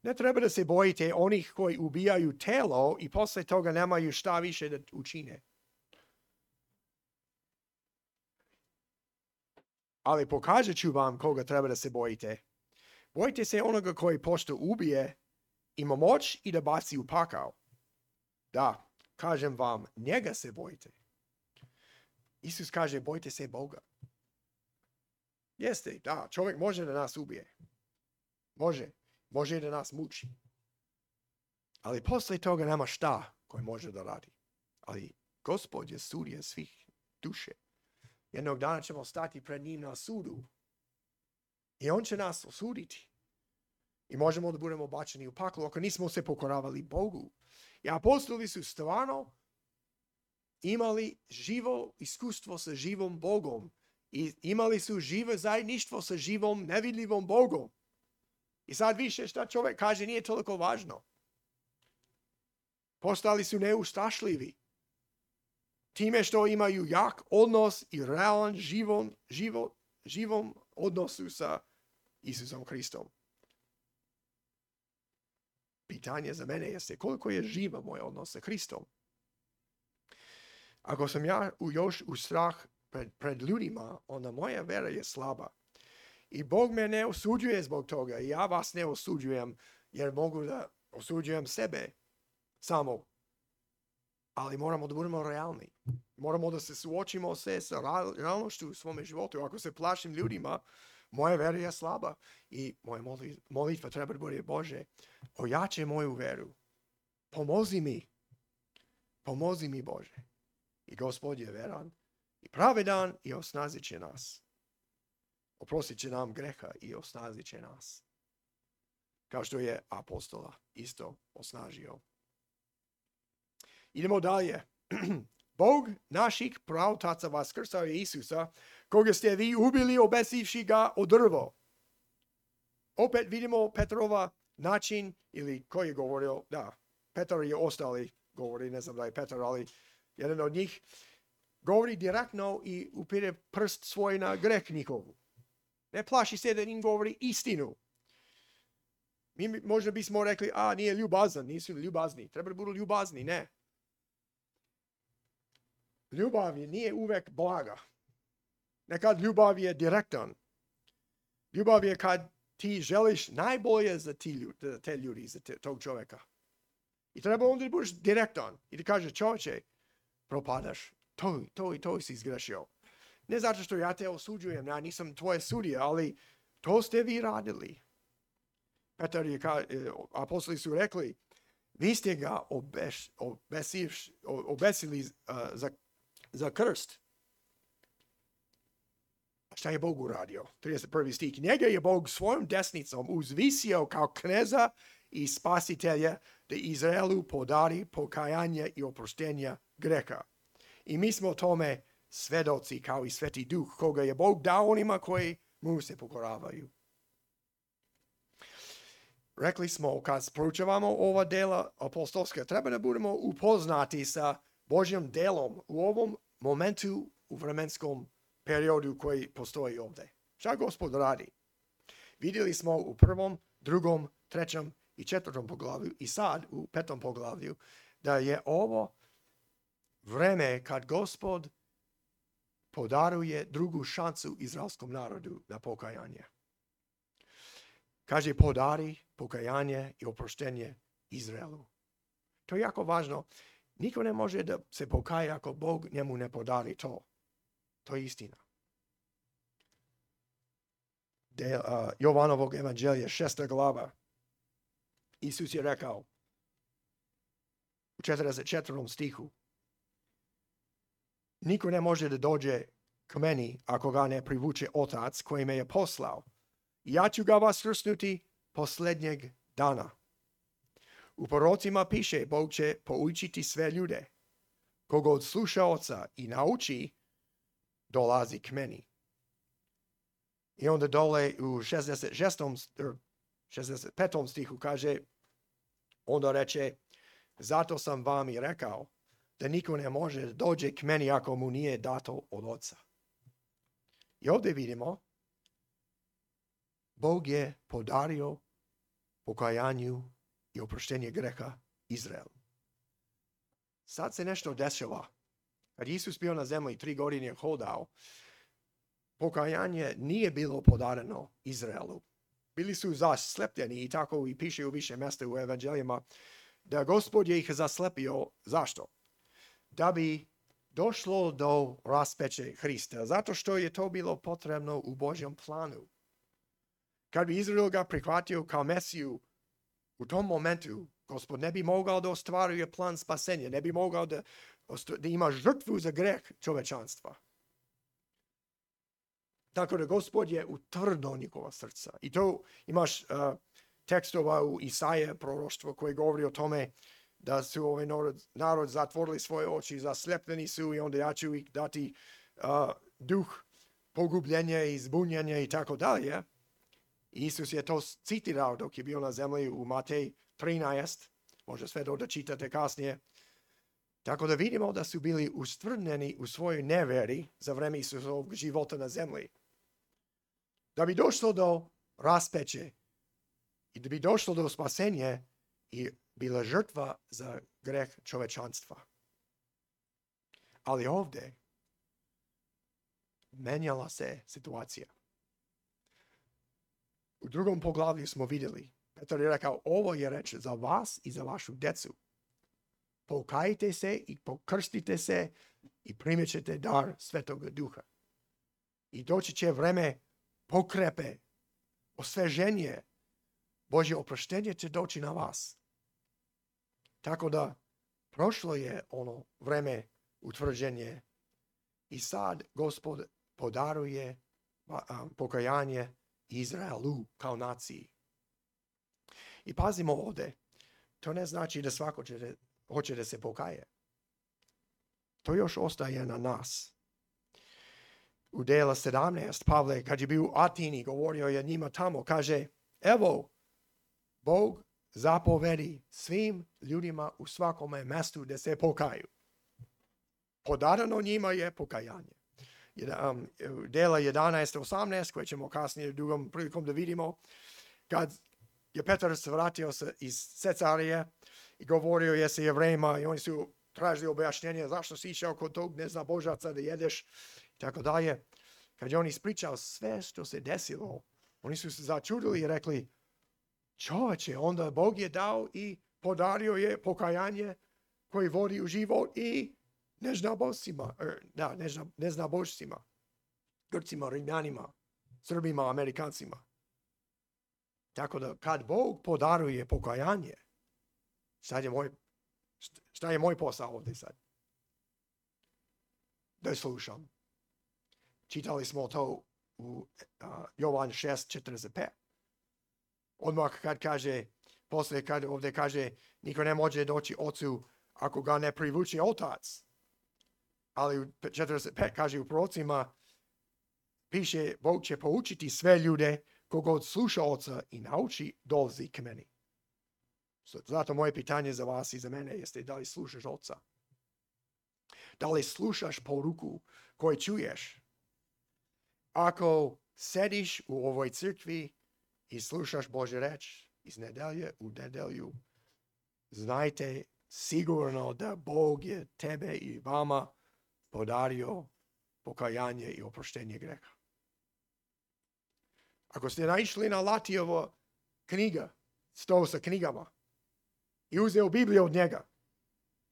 ne treba da se bojite onih koji ubijaju telo i posle toga nemaju šta više da učine. Ali pokazat ću vam koga treba da se bojite. Bojite se onoga koji pošto ubije, ima moć i da baci u pakao. Da, kažem vam, njega se bojite. Isus kaže, bojte se Boga. Jeste, da, čovjek može da nas ubije. Može da nas muči. Ali posle toga nema šta koji može da radi. Ali Gospod je sudija svih duše. Jednog dana ćemo stati pred njim na sudu. I on će nas osuditi. I možemo da budemo bačeni u paklu ako nismo se pokoravali Bogu. I apostoli su stvarno imali živo iskustvo sa živom Bogom. I imali su živo zajedništvo sa živom nevidljivom Bogom. I sad više šta čovjek kaže nije toliko važno. Postali su neustrašljivi. Time što imaju jak odnos i realan živom odnosu sa Isusom Hristom. Pitanje za mene jeste koliko je živa moj odnos sa Hristom. Ako sam ja još u strah pred ljudima, onda moja vera je slaba. I Bog me ne osuđuje zbog toga. I ja vas ne osuđujem jer mogu da osuđujem sebe samo. Ali moramo da budemo realni. Moramo da se suočimo sa realnošću u svome životu. Ako se plašim ljudima, moja vera je slaba. I moja molitva treba da bude, Bože, ojačaj moju veru. Pomozi mi Pomozi mi Bože. I Gospod je veran i pravedan i osnazit će nas. Oprostit će nam greha i osnazit će nas. Kao što je apostola isto osnažio. Idemo dalje. Bog naših praotaca vaskrsao je Isusa, koga ste vi ubili obesivši ga o drvo. Opet vidimo Petrova način, ili ko je govorio, da, Petar je ostali govori, ne znam da je Petar, ali jedan od njih govori direktno i upire prst svoj na greh njihovu. Ne plaši se da im govori istinu. Mi možda bismo rekli, nije ljubazan, nisu ljubazni, treba da budu ljubazni, ne. Ljubav nije uvek blaga. Nekad ljubav je direktan. Ljubav je kad ti želiš najbolje za te ljudi, za tog čovjeka. I treba onda da budeš direktan i da kažeš, čovječe, propadaš, to si izgrešio. Ne zato što ja te osuđujem, ja nisam tvoje sudija, ali to ste vi radili. Petar je, apostoli su rekli, vi ste ga obesili za krst. A šta je Bog uradio? 31. stih. Njega je Bog svojom desnicom uzvisio kao kneza i spasitelja da Izraelu podari pokajanje i oproštenja greha. I mi smo tome svedoci kao i Sveti Duh, koga je Bog dao onima koji mu se pokoravaju. Rekli smo, kad proučavamo ova dela apostolska, treba da budemo upoznati sa Božjim delom u ovom momentu, u vremenskom periodu koji postoji ovdje. Šta Gospod radi? Vidjeli smo u 1., 2., 3. i 4. poglavlju i sad u 5. poglavlju da je ovo vreme kad Gospod podaruje drugu šansu izraelskom narodu na pokajanje. Kaže, podari pokajanje i oproštenje Izraelu. To je jako važno. Niko ne može da se pokaje ako Bog njemu ne podari to. To je istina. Jovanovog evanđelja, 6. glava. Isus je rekao u 44. stihu, niko ne može da dođe k meni ako ga ne privuče Otac koji me je poslao. Ja ću ga vaskrsnuti posljednjeg dana. U prorocima piše, Bog će poučiti sve ljude. Kogod sluša Oca i nauči, dolazi k meni. I onda dole u 65. stihu kaže, onda reče, zato sam vam i rekao da niko ne može da dođe k meni ako mu nije dato od Oca. I ovdje vidimo, Bog je podario pokajanju i oproštenje greha Izraelu. Sad se nešto dešava. Kad Isus bio na zemlji 3 godine hodao, pokajanje nije bilo podareno Izraelu. Bili su zaslepljeni i tako i piše u više mjesta u evanđelijama da Gospod je ih zaslepio. Zašto? Da bi došlo do raspeće Hrista. Zato što je to bilo potrebno u Božjem planu. Kad bi Izrael ga prihvatio kao Mesiju, u tom momentu Gospod ne bi mogao da ostvaruje plan spasenja, ne bi mogao da ima žrtvu za greh čovečanstva. Tako da Gospod je utvrdio njihova srca. I to imaš tekstova u Isaije proroštvo koje govori o tome da su ovaj narod zatvorili svoje oči, zaslepljeni su i onda ja ću ih dati duh pogubljenja i zbunjenja i tako dalje. Isus je to citirao dok je bio na zemlji u Matej 13, može sve to da čitate kasnije. Tako da vidimo da su bili ustvrdljeni u svojoj neveri za vreme Isusovog života na zemlji. Da bi došlo do raspeće i da bi došlo do spasenja i bila žrtva za greh čovečanstva. Ali ovdje menjala se situacija. U 2. poglavlju smo vidjeli, Petar je rekao, ovo je reč za vas i za vašu decu. Pokajte se i pokrstite se i primit ćete dar Svetoga Duha. I doći će vreme pokrepe, osveženje, Božje oproštenje će doći na vas. Tako da Prošlo je ono vreme utvrđenje i sad Gospod podaruje pokajanje Izraelu kao naciji. I pazimo ovdje, to ne znači da svako hoće da se pokaje. To još ostaje na nas. U Dela 17, Pavle, kad je bio u Atini, govorio je njima tamo, kaže, evo, Bog zapovedi svim ljudima u svakome mjestu da se pokaju. Podarano njima je pokajanje. Dela 11:18, koje ćemo kasnije drugom prilikom da vidimo, kad je Petar se vratio iz Cesarije i govorio je sa Jevrejima i oni su tražili objašnjenje zašto si išao kod tog neznabožaca da jedeš i tako dalje. Kad je on ispričao sve što se desilo, oni su se začudili i rekli, čovječe, onda Bog je dao i podario je pokajanje koji vodi u život i neznabožcima, Grcima, Rimljanima, Srbima, Amerikancima. Tako da kad Bog podaruje pokajanje, šta je moj posao ovdje sad? Da slušam. Čitali smo to u Jovan 6:45. Odmah kad kaže, poslije kad ovdje kaže, niko ne može doći ocu ako ga ne privuče otac. Ali u 45 kaže u prorocima, piše, Bog će poučiti sve ljude kogod sluša oca i nauči dolazi k meni. Zato moje pitanje za vas i za mene jeste da li slušaš oca? Da li slušaš poruku koju čuješ? Ako sediš u ovoj crkvi i slušaš Božju reč iz nedelje u nedelju, znajte sigurno da Bog je tebe i vama podario pokajanje i oproštenje greha. Ako ste naišli na Latijevo knjiga, sto sa knjigama, i uzeo Bibliju od njega,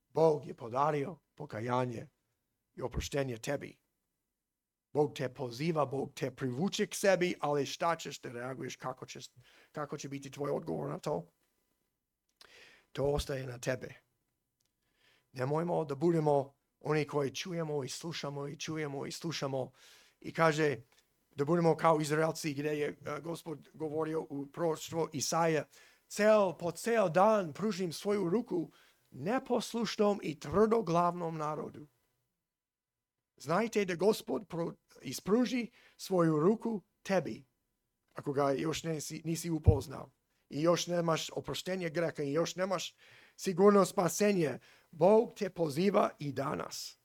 Bog je podario pokajanje i oproštenje tebi. Bog te poziva, Bog te privuče k sebi, ali šta ćeš da reaguješ, kako će biti tvoj odgovor na to? To ostaje na tebe. Nemojmo da budemo oni koji čujemo i slušamo i čujemo i slušamo i kaže da budemo kao Izraelci gdje je Gospod govorio u proroštvu Isaija, po ceo dan pružim svoju ruku neposlušnom i tvrdoglavnom narodu. Znajte da Gospod ispruži svoju ruku tebi, ako ga još nisi upoznao i još nemaš oproštenje greha i još nemaš sigurno spasenje. Bog te poziva i danas.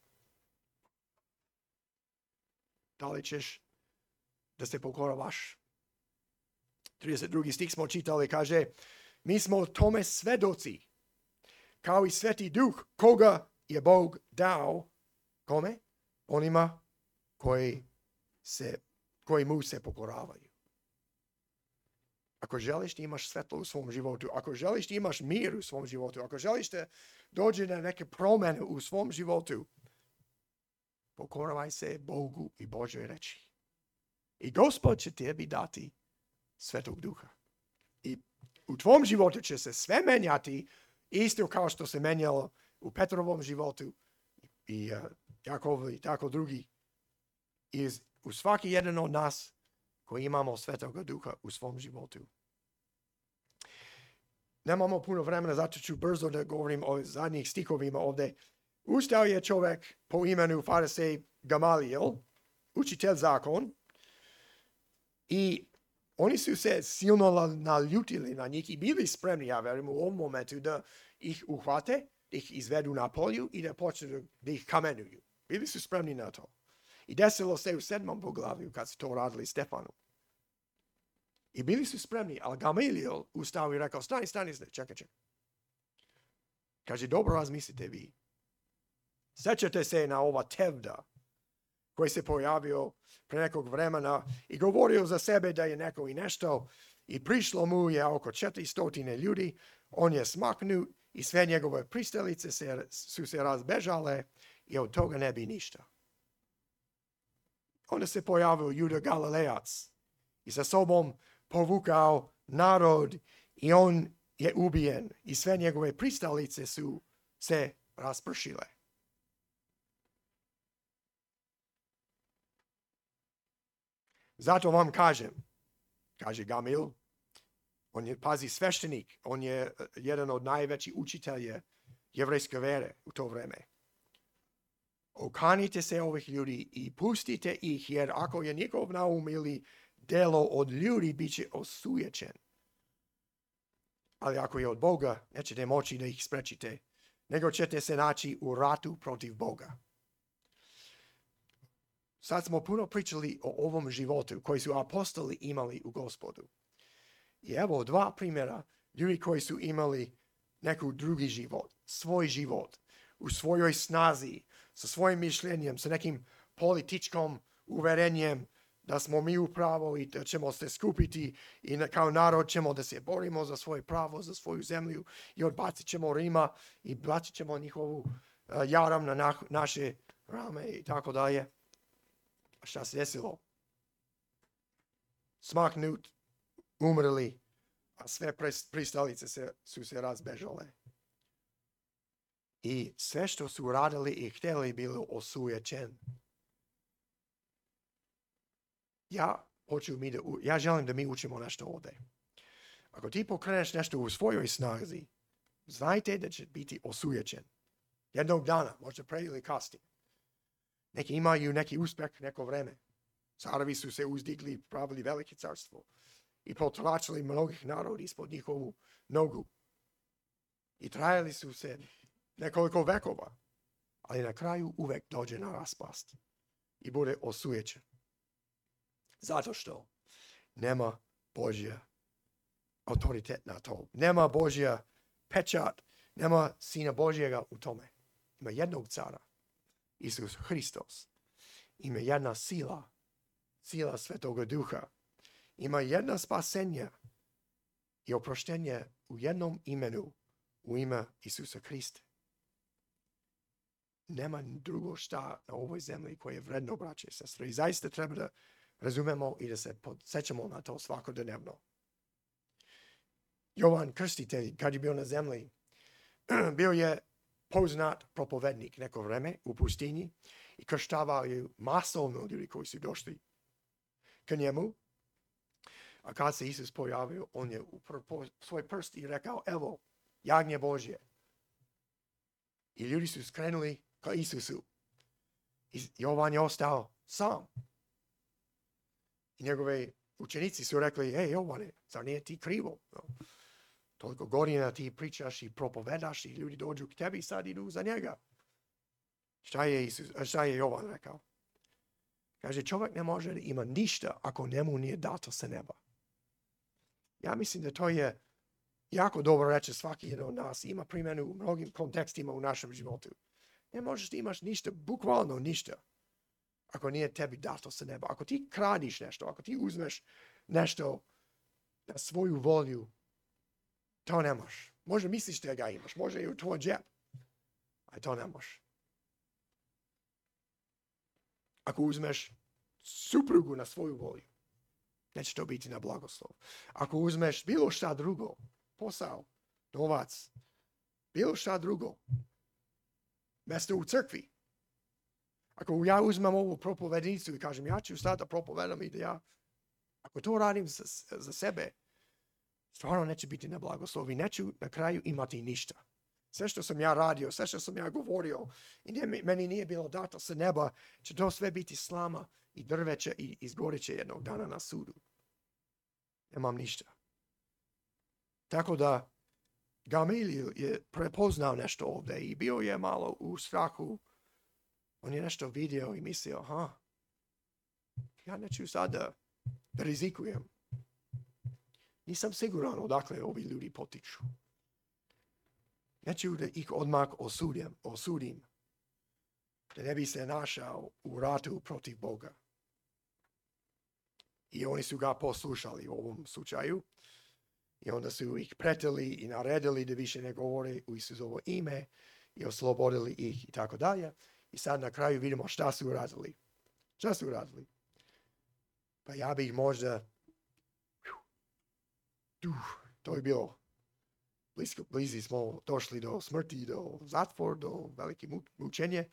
Da li ćeš da se pokoravaš? 32. stih smo čitali, kaže, mi smo tome svedoci, kao i Sveti Duh, koga je Bog dao, kome? Onima koji mu se pokoravaju. Ako želiš da imaš svetlo u svom životu, ako želiš da imaš mir u svom životu, ako želiš da dođe na neke promjene u svom životu, pokoravaj se Bogu i Božoj reči. I Gospod će tebi dati Svetog Duha. I u tvom životu će se sve menjati, isto kao što se menjalo u Petrovom životu i Jakovu i tako drugi. I u svaki jedan od nas koji imamo Svetoga Duha u svom životu. Nemamo puno vremena, zato ću brzo da govorim o zadnjih stihovima ovdje. Ustao je čovjek po imenu Farisej Gamalijel, učitelj zakon, i oni su se silno naljutili na njih i bili spremni, ja verujem, u ovom momentu da ih uhvate, da ih izvedu na polju i da počnu da ih kamenuju. Bili su spremni na to. I desilo se u 7. poglavlju kad su to radili Stefanu. I bili su spremni, ali Gamalijel ustao i rekao, stani, čekaj. Kaže, dobro razmislite vi. Sjećate se na ova Tevda koji se pojavio pre nekog vremena i govorio za sebe da je neko i nešto i prišlo mu je oko 400 ljudi, on je smaknut i sve njegove pristalice su se razbežale i od toga ne bi ništa. Onda se pojavio Juda Galilejac i sa sobom povukao narod i on je ubijen i sve njegove pristalice su se raspršile. Zato vam kažem, kaže Gamil, on je, pazi, sveštenik, on je jedan od najvećih učitelja jevrejske vere u to vreme. Okanite se ovih ljudi i pustite ih, jer ako je njegov naum ili delo od ljudi, bit će osujećen. Ali ako je od Boga, nećete moći da ih sprečite, nego ćete se naći u ratu protiv Boga. Sad smo puno pričali o ovom životu koji su apostoli imali u Gospodu. I evo dva primjera ljudi koji su imali neku drugi život, svoj život, u svojoj snazi, sa svojim mišljenjem, sa nekim političkom uverenjem da smo mi u pravu i da ćemo se skupiti i kao narod ćemo da se borimo za svoje pravo, za svoju zemlju i odbacit ćemo Rima i bacit ćemo njihovu jaram na naše rame i tako dalje. A šta se desilo? Smaknut, umrli, a sve pristalice su se razbežale. I sve što su radili i htjeli bilo osujećen. Ja želim da mi učimo nešto ovdje. Ako ti pokreneš nešto u svojoj snazi, znajte da će biti osujećen. Jednog dana, možda pre ili kasnije. Neki imaju neki uspjeh neko vreme. Carevi su se uzdigli, pravili velike carstvo i potlačili mnogih naroda ispod njihovu nogu. I trajali su se nekoliko vekova, ali na kraju uvek dođe na raspast i bude osujećen. Zato što nema Božja autoritet na to. Nema Božja pečat, nema Sina Božjega u tome. Ima jednog cara, Isus Hristos. Ima jedna sila Svetoga Duha. Ima jedna spasenje i oproštenje u jednom imenu, u ime Isusa Hrista. Nema drugo šta na ovoj zemlji koje je vredno, braće i sestre. I zaista treba da razumemo i da se podsjećamo na to svakodnevno. Jovan Krstitelj, kad je bio na zemlji, bio je poznat propovednik neko vreme u pustinji i krštavao je masovno ljudi koji su došli ka njemu. A kad se Isus pojavio, on je upravo svoj prst i rekao, evo, jagnje Božje. I ljudi su skrenuli ka Isusu. I Jovan je ostao sam. I njegove učenici su rekli, hej Jovane, zar nije ti krivo? No, toliko godina ti pričaš i propovedaš i ljudi dođu k tebi i sad idu za njega. Šta je Jovan rekao? Kaže, čovjek ne može da ima ništa ako njemu nije dato sa neba. Ja mislim da to je jako dobro reći svaki jedan od nas. Ima primjenu u mnogim kontekstima u našem životu. Ne možeš da imaš ništa, bukvalno ništa, ako nije tebi dato sa neba. Ako ti kradiš nešto, ako ti uzmeš nešto na svoju volju, to ne možeš. Možda misliš da ga imaš, možda je u tvoj džep, a to ne možeš. Ako uzmeš suprugu na svoju volju, neće to biti na blagoslov. Ako uzmeš bilo šta drugo, posao, novac, bilo šta drugo, mjesto u crkvi. Ako ja uzmem ovu propovednicu i kažem, ja ću stati da propovedam i da ja, ako to radim za sebe, stvarno neće biti na blagoslov i neću na kraju imati ništa. Sve što sam ja radio, sve što sam ja govorio i meni nije bilo dato sa neba, će to sve biti slama i drveće i izgorit će jednog dana na sudu. Nemam ništa. Tako da Gamaliel je prepoznao nešto ovdje i bio je malo u strahu. On je nešto vidio i mislio, ja neću sada da rizikujem. Nisam siguran odakle ovi ljudi potiču. Neću da ih odmah osudim. Da ne bi se našao u ratu protiv Boga. I oni su ga poslušali u ovom slučaju. I onda su ih pretili i naredili da više ne govore u Isusovo ime i oslobodili ih i tako dalje. I sad na kraju vidimo šta su uradili. Šta su uradili? Pa ja bih možda... To je bilo blizi smo došli do smrti, do zatvor, do velike mučenje.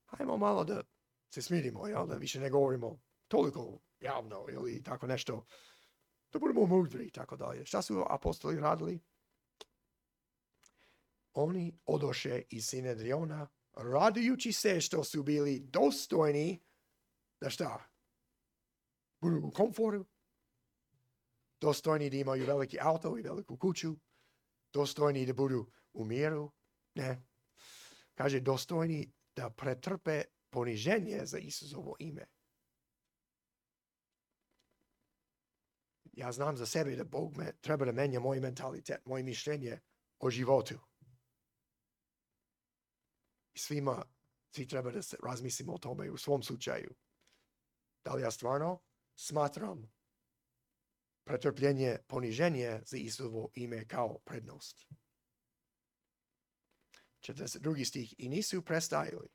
Hajmo malo da se smirimo, jel? Da više ne govorimo toliko javno ili tako nešto. Da budemo mudri i tako dalje. Šta su apostoli radili? Oni odoše iz Sinedriona radujući se što su bili dostojni da šta? Budu u komforu. Dostojni da imaju veliki auto i veliku kuću. Dostojni da budu u miru. Ne. Kaže dostojni da pretrpe poniženje za Isusovo ime. Ja znam za sebe da Bog treba da menja moj mentalitet, moje mišljenje o životu. I svi treba da se razmislimo o tome u svom slučaju. Da li ja stvarno smatram pretrpljenje, poniženje za Isusovo ime kao prednost? 42. stih. I nisu prestajali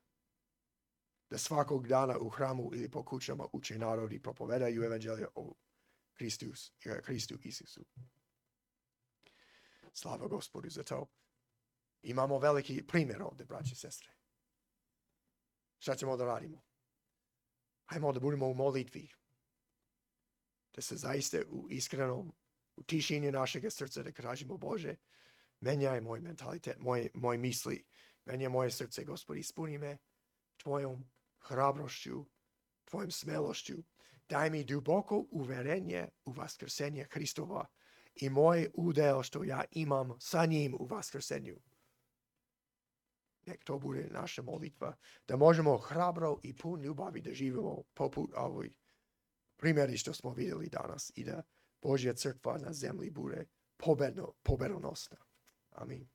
da svakog dana u hramu ili po kućama uče narod i propovedaju evanđelje o Hristu Isusu. Slava Gospodu za to. Imamo veliki primjer ovdje, braći i sestre. Šta ćemo da radimo? Hajmo da budemo u molitvi. Da se zaista u iskrenom, u tišini našeg srca da kažemo Bože, menjaj moj mentalitet, moj misli, menjaj moje srce, Gospod, ispuni me tvojom hrabrošću, tvojom smelošću. Daj mi duboko uverenje u vaskrsenje Hristova i moj udeo što ja imam sa njim u vaskrsenju. Nek to bude naša molitva, da možemo hrabro i pun ljubavi da živimo poput ovoj primjeri što smo vidjeli danas i da Božja crkva na zemlji bude pobedonosna. Amin.